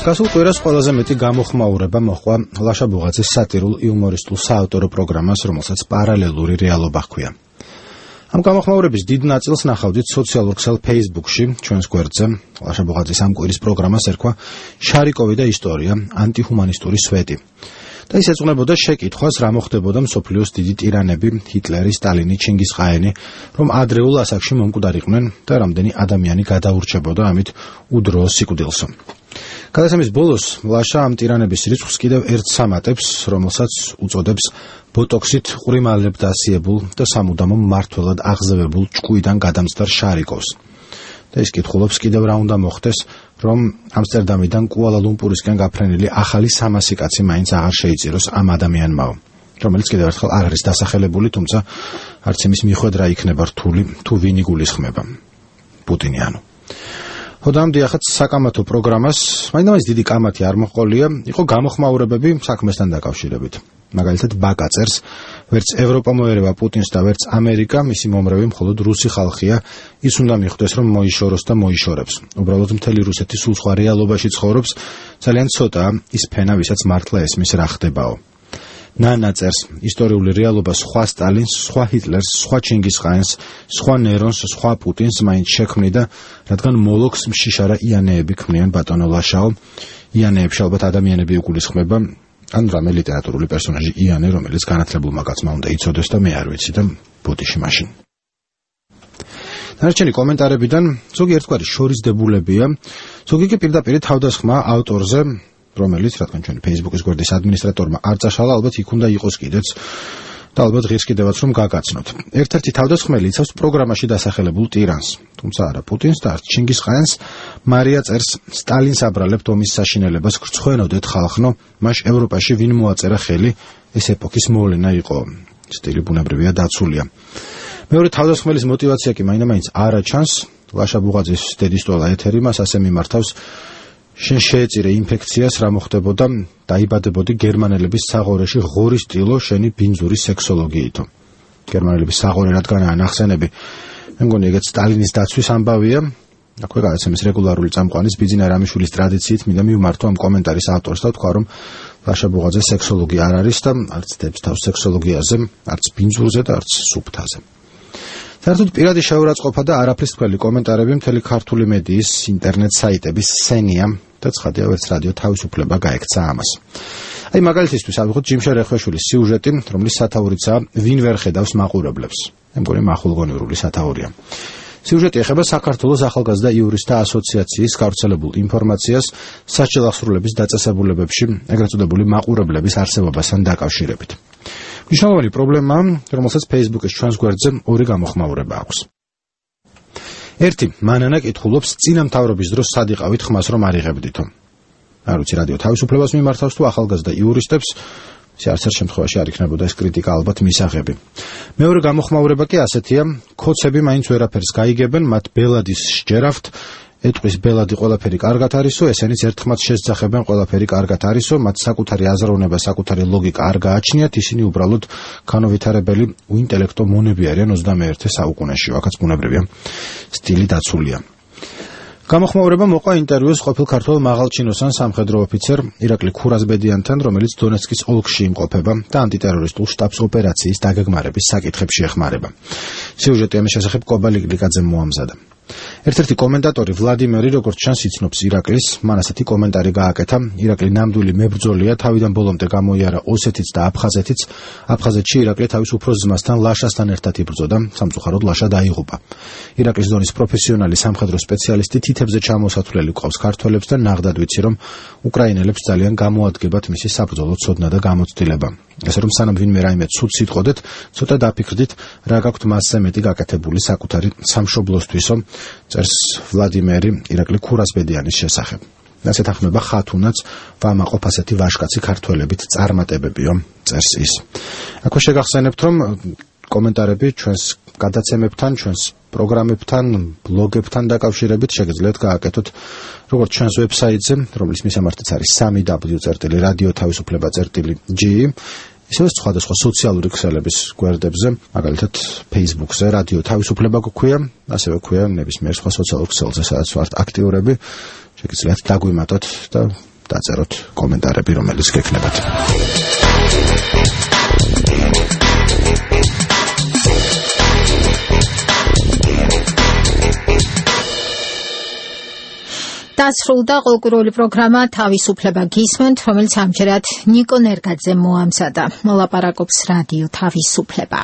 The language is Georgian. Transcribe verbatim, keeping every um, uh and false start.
გასულ კვირას ყველაზე მეტი გამოხმაურება მოჰყვა ლაშა ბუღაძის სატირულ იუმორისტულ საავტორო პროგრამას, რომელსაც პარალელური რეალობა ჰქვია. ამ გამოხმაურების დიდ ნაწილს ნახავდით სოციალურ ქსელ Facebook-ში, ჩვენს გვერდზე. ლაშა ბუღაძის ამ კვირის პროგრამას ერქვა შარიკოვი და ისტორია, ანტიჰუმანისტური სვეტი. და ის ეძღვნებოდა შეკითხვას, რა მოხდებოდა მსოფლიოს დიდი ტირანები, ჰიტლერი, სტალინი, ჩინგისხაენი, რომ ადრეულ ასაკში მომკვდარიყვნენ და რამდენი ადამიანი გადაურჩებოდა ამით უდროო სიკვდილსო. გადაცემის ბოლოს ლაშა ამ ტირანების რიცხვს კიდევ ერთს ამატებს, რომელსაც უწოდებს ბოტოქსით ყვრიმალებ დასიებულ და სამუდამო მმართველად აღზევებულ ჭკუიდან გადამწდარ შარიკოვს. და ის კითხულობს კიდევ რა უნდა მოხდეს, რომ ამსტერდამიდან კუალა-ლუმპურისკენ გაფრენილი ახალი სამასი კაცი მაინც აღარ შეიწიროს ამ ადამიანმაო, რომელიც კიდევ ერთხელ არ არის დასახელებული, თუმცა არც იმის მიხვედრა იქნება რთული, თუ ვინ იგულისხმება. პუტინი ანუ. ხოდამ დიახაც საკამათო პროგრამას, მაინც დიდი კამათი არ მოყოლია, იყო გამოხმაურებები საქმესთან დაკავშირებით. მაგალითად ბაკა წერს, ვერც ევროპა მოერევა პუტინს და ვერც ამერიკა, მისი მომრევი მხოლოდ რუსი ხალხია, ის უნდა მიხვდეს, რომ მოიშოროს და მოიშორებს. უბრალოდ მთელი რუსეთი სულ სხვა რეალობაში ცხოვრობს, ძალიან ცოტაა ის ფენა, ვისაც მართლა ესმის რა ხდებაო. ნანა წერს, ისტორიული რეალობა სხვა სტალინს, სხვა ჰიტლერს, სხვა ჩინგისხაენს, სხვა ნერონს, სხვა პუტინს მაინც შექმნიდა, რადგან მოლოქს მშიშარა იანეები ქმნიან ბატონო ლაშაო. იანეებში ალბათ ადამიანები იგულისხმება, ან რამე ლიტერატურული პერსონაჟი იანე, რომელიც განათლებულმა კაცმა უნდა იცოდეს და მე არ ვიცი და ბოდიში მაშინ. დანარჩენი კომენტარებიდან ზოგი ერთგვარი შორისდებულებია, ზოგი კი პირდაპირ თავდასხმა ავტორზე, რომელიც რადგან ჩვენი Facebook-ის გვერდის ადმინისტრატორმა არ წაშალა, ალბათ იქ უნდა იყოს კიდეც და ალბათ ღირს კიდევაც რომ გაგაცნოთ. ერთ-ერთი თავდასხმელი იცავს პროგრამაში დასახელებულ ტირანს, თუმცა არა პუტინს და არც ჩინგისხაენს. მარია წერს, სტალინს აბრალებთ ომის საშინელებას, გრცხვენოდეთ ხალხნო, მაშ ევროპაში ვინ მოაწერა ხელი, ეს ეპოქის მოვლენა იყო. სტილი ბუნებრივია დაცულია. მეორე თავდასხმელის мотиваცია კი მაინდა-მაინც არა ჩანს. ლაშა ბუღაძის დედისტოლა ეთერი მას ასე მიმართავს, შენ შეეწირე ინფექციას, რა მოხდებოდა, დაიბადებოდი გერმანელების საღორეში ღორის ტილო შენი ბინძური სექსოლოგიითო. გერმანელების საღორე რადგანაა ნახსენები, მე მგონი ეგეც სტალინის დაცვის ამბავია. აქვე გადაცემის რეგულარული წამყვანის ბიძინა რამიშვილის ტრადიციით მინდა მივმართო ამ კომენტარის ავტორს და ვთქვა, რომ ლაშა ბუღაძე სექსოლოგი არ არის და არც დებს თავს სექსოლოგიაზე, არც ბინძურზე და არც სუფთაზე. საერთოდ პირადი შეურაცხყოფა და არაფრის თქველი კომენტარები მთელი ქართული მედიის, ინტერნეტ საიტების სცენია და ცხადია ვერც რადიო თავისუფლება გაექცა ამას. აი მაგალითისთვის ავიღოთ ჯიმშა რეხვეშვილის სიუჟეტი, რომლის სათაურიცაა ვინ ვერ ხედავს მაყურებლებს. მე მგონი მახულგონივრული სათაურია. სიუჟეტი ეხება საქართველოს ახალგაზრდა იურისტთა ასოციაციის გავრცელებულ ინფორმაციას სასჯელახსრულების დაწესებულებებში ეგრეთ წოდებული მაყურებლების არსებობასთან დაკავშირებით. მნიშვნელოვანი პრობლემაა, რომელსაც Facebook-ის ჩვენს გვერდზე ორი გამოხმაურება აქვს. ერთი, მანანა კითხულობს, წინა მთავრობის დროს სად იყავით ხმას რომ არ იღებდითო. არ ვიცი რადიო თავისუფლებას მიმართავს თუ ახალგაზრდა იურისტებს, ისე არც ერთ შემთხვევაში არ იქნებოდა ეს კრიტიკა ალბათ მისაღები. მეორე გამოხმაურება კი ასეთია, ქოცები მაინც ვერაფერს გაიგებენ, მათ ბელადის სჯერავთ, ეტყვის ბელადი ყველაფერი კარგად არისო, ესენიც ერთხმაც შესძახებენ ყველაფერი კარგად არისო, მათ საკუთარი აზროვნება, საკუთარი ლოგიკა არ გააჩნიათ, ისინი უბრალოდ განუვითარებელი უინტელექტო მონები არიან ოცდამეერთე საუკუნეში, აქაც ბუნებრივია სტილი დაცულია. გამოხმაურება მოყვა ინტერვიუს ყოფილ ქართველ მაღალჩინოსან სამხედრო ოფიცერ ირაკლი ქურაზბედიანთან, რომელიც დონეცკის ოლქში იმყოფება და ანტიტერორისტულ შტაბს ოპერაციის დაგეგმარების საკითხებში ეხმარება. სიუჟეტი ამის შესახებ კობალი გლიკაძემ მოამზადა. ერთ-ერთი კომენტატორი ვლადიმერი, როგორც ჩანს, იცნობს ირაკლის, მან ასეთი კომენტარი გააკეთა. ირაკლი ნამდვილი მებრძოლია, თავიდან ბოლომდე გამოიარა ოსეთიც და აფხაზეთიც. აფხაზეთში ირაკლი თავის უფროს ძმასთან ლაშასთან ერთად იბრძოდა, სამწუხაროდ ლაშა დაიღუპა. ირაკლის დონის პროფესიონალი სამხედრო სპეციალისტი თითებზე ჩამოსათვლელი ყავს ქართველებს და ნაღდად ვიცი, რომ უკრაინელებს ძალიან გამოადგებათ მისი საბრძოლო ცოდნა და გამოცდილება. ესე რომ სანამ ვინმე რაიმე ცუდს იტყოდეთ, ცოტა დაფიქრდით, რა გაქვთ მასზე მეტი გაკეთებული საკუთარი სამშობლოსთვისო, წერს ვლადიმერი ირაკლი ქურაზბედიანის შესახებ. ასე თანხმება ხათუნაც, ვამაყობ ასეთი ვაშკაცი ქართველებით წარმატებებიო, წერს ის. აქვე შეგახსენებთ, რომ კომენტარები ჩვენს გადაცემებთან, ჩვენს პროგრამებთან, ბლოგებთან დაკავშირებით შეგიძლიათ გააკეთოთ როგორც ჩვენს ვებსაიტზე, რომლის მისამართიც არის სამი დაბლიუ წერტილი რადიო თავისუფლება წერტილი ჯი, ისევე სხვადასხვა სოციალური ქსელების გვერდებზე, მაგალითად Facebook-ზე რადიო თავისუფლება გვქვია, ასევე გვქვია ნებისმიერ სხვა სოციალურ ქსელზე, სადაც ვართ აქტიურები, შეგიძლიათ დაგვიმატოთ და დაწეროთ კომენტარები, რომელიც გექნებათ. დასრულდა ყოლკურული პროგრამა თავისუფლება გისმენთ, რომელიც ამჯერად ნიკო ნერგაძემ მოამზადა. მოლაპარაკობს რადიო თავისუფლება.